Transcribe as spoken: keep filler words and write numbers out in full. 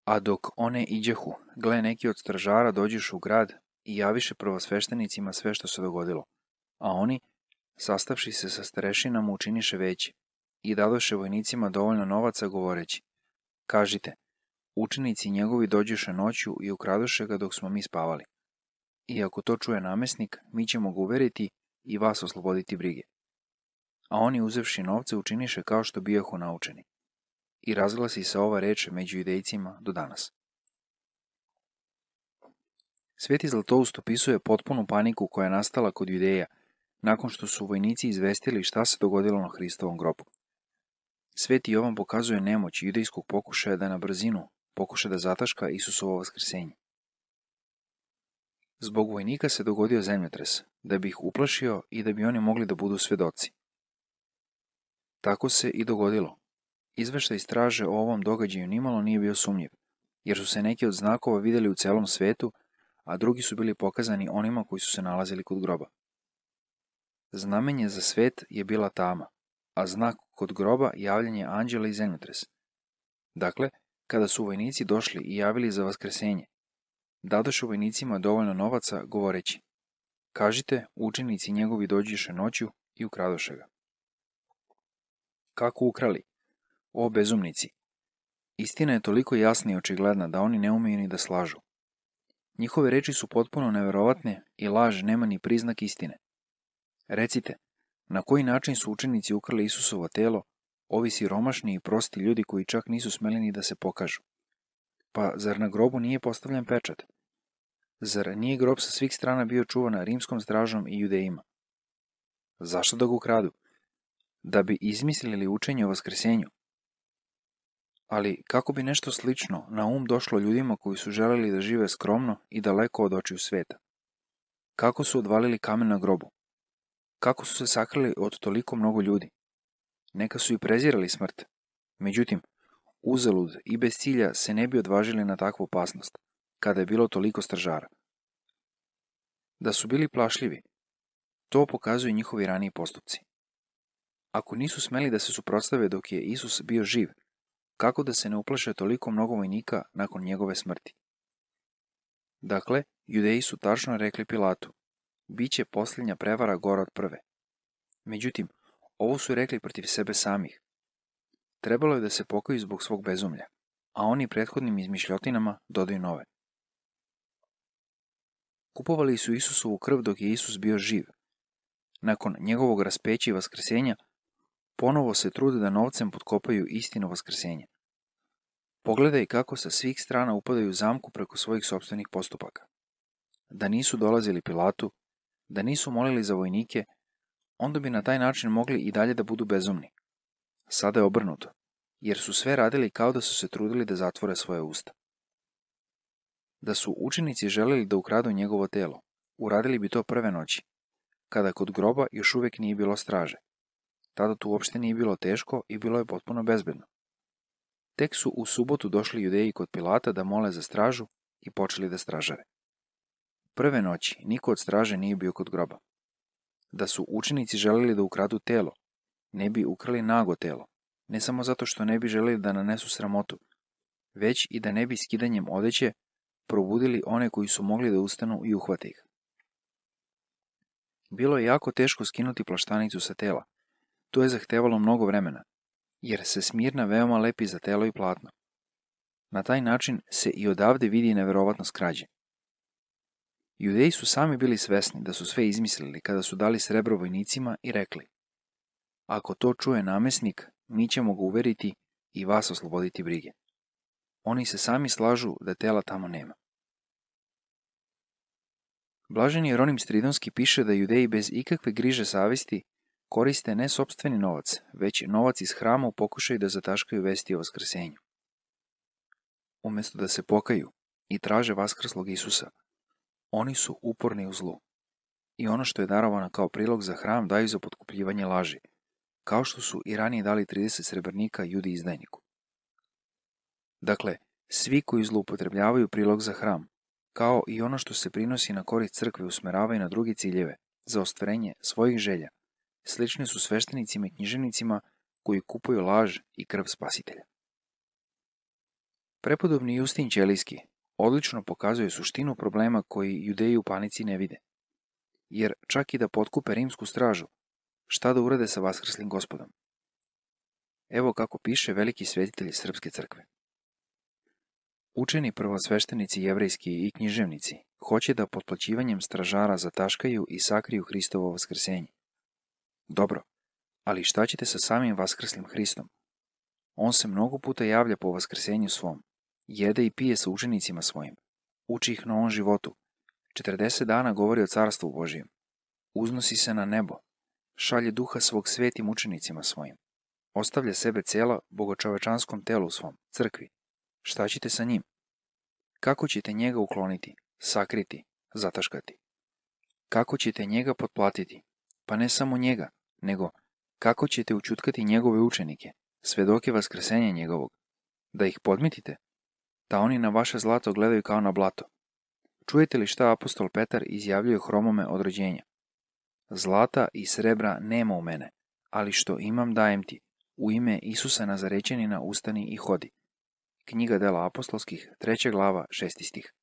A dok one iđehu, gle, neki od stražara dođešu u grad i javiše prvosveštenicima sve što se dogodilo. A oni, sastavši se sa starešinama, učiniše veće i dadoše vojnicima dovoljno novaca govoreći: kažite, učenici njegovi dođeše noću i ukradoše ga dok smo mi spavali. I ako to čuje namesnik, mi ćemo ga uveriti i vas osloboditi brige. A oni, uzevši novce, učiniše kao što bijahu naučeni. I razglasi se ova reč među judejcima do danas. Sveti Zlatoust opisuje potpunu paniku koja je nastala kod Judeja nakon što su vojnici izvestili šta se dogodilo na Hristovom grobu. Sveti Jovan pokazuje nemoć judejskog pokušaja da na brzinu pokuša da zataška Isusovo vaskrsenje. Zbog vojnika se dogodio zemljotres, da bi ih uplašio i da bi oni mogli da budu svedoci. Tako se i dogodilo. Izveštaj straže o ovom događaju nimalo nije bio sumnjiv, jer su se neki od znakova vidjeli u celom svetu, a drugi su bili pokazani onima koji su se nalazili kod groba. Znamenje za svet je bila tama, a znak kod groba javljanje anđela i zemljotres. Dakle, kada su vojnici došli i javili za vaskrsenje, dadoše vojnicima dovoljno novaca govoreći: kažite, učenici njegovi dođeše noću i ukradoše ga. Kako ukrali? O bezumnici! Istina je toliko jasna i očigledna da oni ne umeju ni da slažu. Njihove reči su potpuno neverovatne i laž nema ni priznak istine. Recite, na koji način su učenici ukrali Isusovo telo, ovi siromašni i prosti ljudi koji čak nisu smeli ni da se pokažu? Pa zar na grobu nije postavljen pečat? Zar nije grob sa svih strana bio čuvan rimskom stražom i judejima? Zašto da ga ukradu? Da bi izmislili učenje o vaskrsenju? Ali kako bi nešto slično na um došlo ljudima koji su želeli da žive skromno i daleko od očiju sveta? Kako su odvalili kamen na grobu? Kako su se sakrili od toliko mnogo ljudi? Neka su i prezirali smrt. Međutim, uzalud i bez cilja se ne bi odvažili na takvu opasnost, kada je bilo toliko stražara. Da su bili plašljivi, to pokazuju njihovi raniji postupci. Ako nisu smeli da se suprotstave dok je Isus bio živ, kako da se ne uplaše toliko mnogo vojnika nakon njegove smrti? Dakle, Judeji su tačno rekli Pilatu: biće posljednja prevara gora od prve. Međutim, ovo su rekli protiv sebe samih. Trebalo je da se pokaju zbog svog bezumlja, a oni prethodnim izmišljotinama dodaju nove. Kupovali su Isusovu krv dok je Isus bio živ. Nakon njegovog raspeća i vaskrsenja, ponovo se trude da novcem potkopaju istinu vaskrsenja. Pogledaj kako sa svih strana upadaju u zamku preko svojih sopstvenih postupaka. Da nisu dolazili Pilatu, da nisu molili za vojnike, onda bi na taj način mogli i dalje da budu bezumni. Sada je obrnuto, jer su sve radili kao da su se trudili da zatvore svoje usta. Da su učenici želeli da ukradu njegovo telo, uradili bi to prve noći, kada kod groba još uvijek nije bilo straže. Tada tu uopšte nije bilo teško i bilo je potpuno bezbedno. Tek su u subotu došli Judeji kod Pilata da mole za stražu i počeli da stražare. Prve noći niko od straže nije bio kod groba. Da su učenici želeli da ukradu telo, ne bi ukrali nago telo, ne samo zato što ne bi želeli da nanesu sramotu, već i da ne bi skidanjem odeće probudili one koji su mogli da ustanu i uhvate ih. Bilo je jako teško skinuti plaštanicu sa tela. To je zahtevalo mnogo vremena, jer se smirna veoma lepi za telo i platno. Na taj način se i odavde vidi neverovatnost krađe. Judeji su sami bili svesni da su sve izmislili kada su dali srebro vojnicima i rekli: ako to čuje namesnik, mi ćemo ga uveriti i vas osloboditi brige. Oni se sami slažu da tela tamo nema. Blaženi Jeronim Stridonski piše da Judeji bez ikakve griže savesti koriste ne sopstveni novac, već novac iz hrama u pokušaju da zataškaju vesti o vaskrsenju. Umjesto da se pokaju i traže vaskrslog Isusa, oni su uporni u zlu. I ono što je darovano kao prilog za hram daju za potkupljivanje laži, kao što su i ranije dali trideset srebrnika Judi izdajniku. Dakle, svi koji zloupotrebljavaju prilog za hram, kao i ono što se prinosi na korist crkve, usmeravaju na druge ciljeve, za ostvarenje svojih želja, slični su sveštenicima i književnicima koji kupuju laž i krv spasitelja. Prepodobni Justin Ćelijski odlično pokazuje suštinu problema koji Judeji u panici ne vide. Jer čak i da potkupe rimsku stražu, šta da urade sa vaskrslim Gospodom? Evo kako piše veliki svetitelj Srpske crkve. Učeni prvosveštenici jevrejski i književnici hoće da potplaćivanjem stražara zataškaju i sakriju Hristovo vaskrsenje. Dobro, ali šta ćete sa samim vaskrslim Hristom? On se mnogo puta javlja po vaskrsenju svom, jede i pije sa učenicima svojim, uči ih novom životu, četrdeset dana govori o carstvu Božijem, uznosi se na nebo, šalje duha svog svetim učenicima svojim, ostavlja sebe cela bogočovečanskom telu svom, crkvi. Šta ćete sa njim? Kako ćete njega ukloniti, sakriti, zataškati? Kako ćete njega potplatiti? Pa ne samo njega, nego kako ćete učutkati njegove učenike, svedoke vaskrsenja njegovog, da ih podmitite, da oni na vaše zlato gledaju kao na blato? Čujete li šta apostol Petar izjavljuje Hromome od rođenja? Zlata i srebra nema u mene, ali što imam dajem ti, u ime Isusa Nazarećanina ustani i hodi. Knjiga dela apostolskih, treća glava, šesti stih.